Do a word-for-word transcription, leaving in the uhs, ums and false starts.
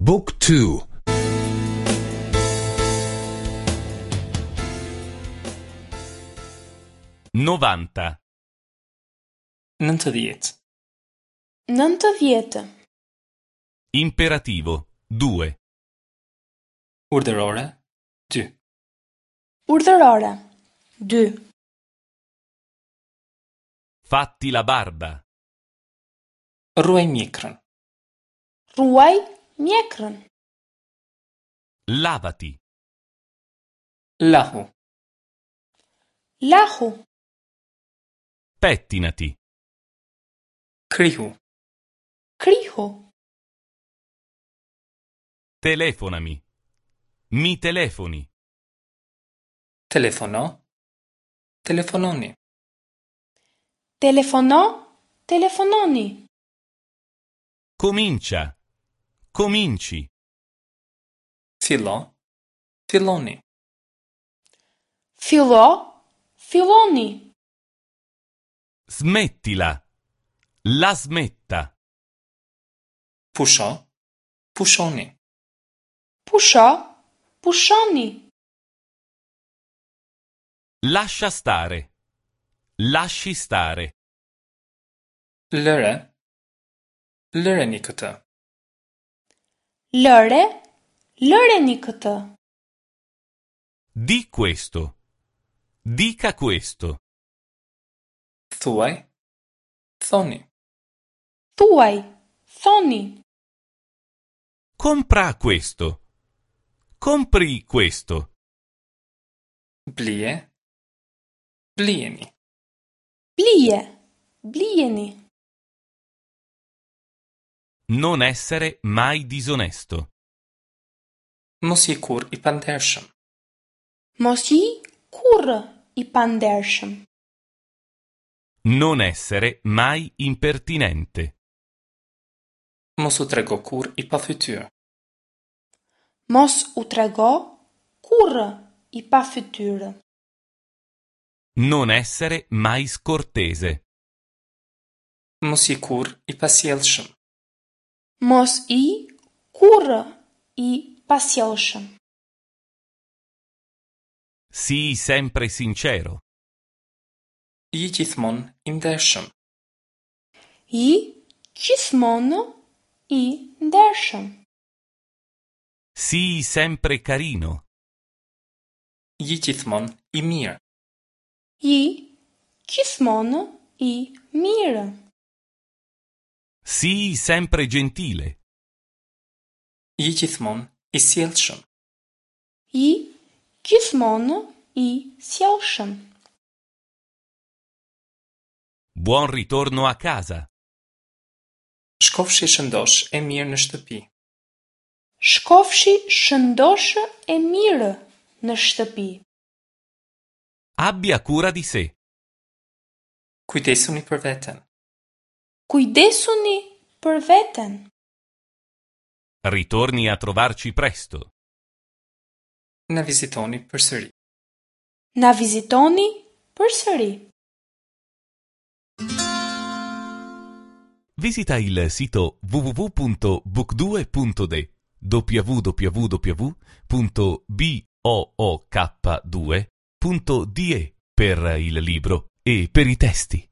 Book two. Novanta. Nëntëdhjetë. Nëntëdhjetë. Imperativo due. Urdhërore dy. Urdhërore dy. Fatti la barba. Rruaj mjekrën. Rruaj mjekrën. Lavati. Lahu. Lahu. Pettinati. Krihu. Krihu. Telefonami. Mi telefoni. Telefono. Telefononi. Telefono, telefononi. Comincia. Cominci. Fillo. Filloni. Fillo, filloni. Smettila. La smetta. Pusho. Pushoni. Pusho, pushoni. Lascia stare. Lasci stare. Lëre. Lëreni këtë. Lëre, lëreni këtë. Di questo. Dica questo. Thuaj. Thoni. Thuaj, thoni. Compra questo. Compri questo. Blije. Blijeni. Blije, blijeni. Non essere mai disonesto. Mos ji kurrë i pandershëm. Mos ji kurrë i pandershëm. Non essere mai impertinente. Mos u trego kurrë i pafytyrë. Mos u trego kurrë i pafytyrë. Non essere mai scortese. Mos ji kurrë i pasjellshëm. Mos i kurrë i pasjellshëm. Sii sempre sincero. Ji gjithmonë i ndershëm. Ji gjithmonë i ndershëm. Sii sempre carino. Ji gjithmonë i mirë. Ji gjithmonë i mirë. Sii sempre gentile. Ji gjithmonë i sjellshëm. Ji gjithmonë i sjellshëm. Buon ritorno a casa. Shkofshi shëndosh e mirë në shtëpi. Shkofshi shëndosh e mirë në shtëpi. Abbia cura di sé. Kujdesuni për veten. Kujdesuni për veten. Ritorni a trovarci presto. Na vizitoni përsëri. Na vizitoni përsëri. Visita il sito w w w punto book due punto d w w w punto b o o k due punto d e per il libro e per i testi.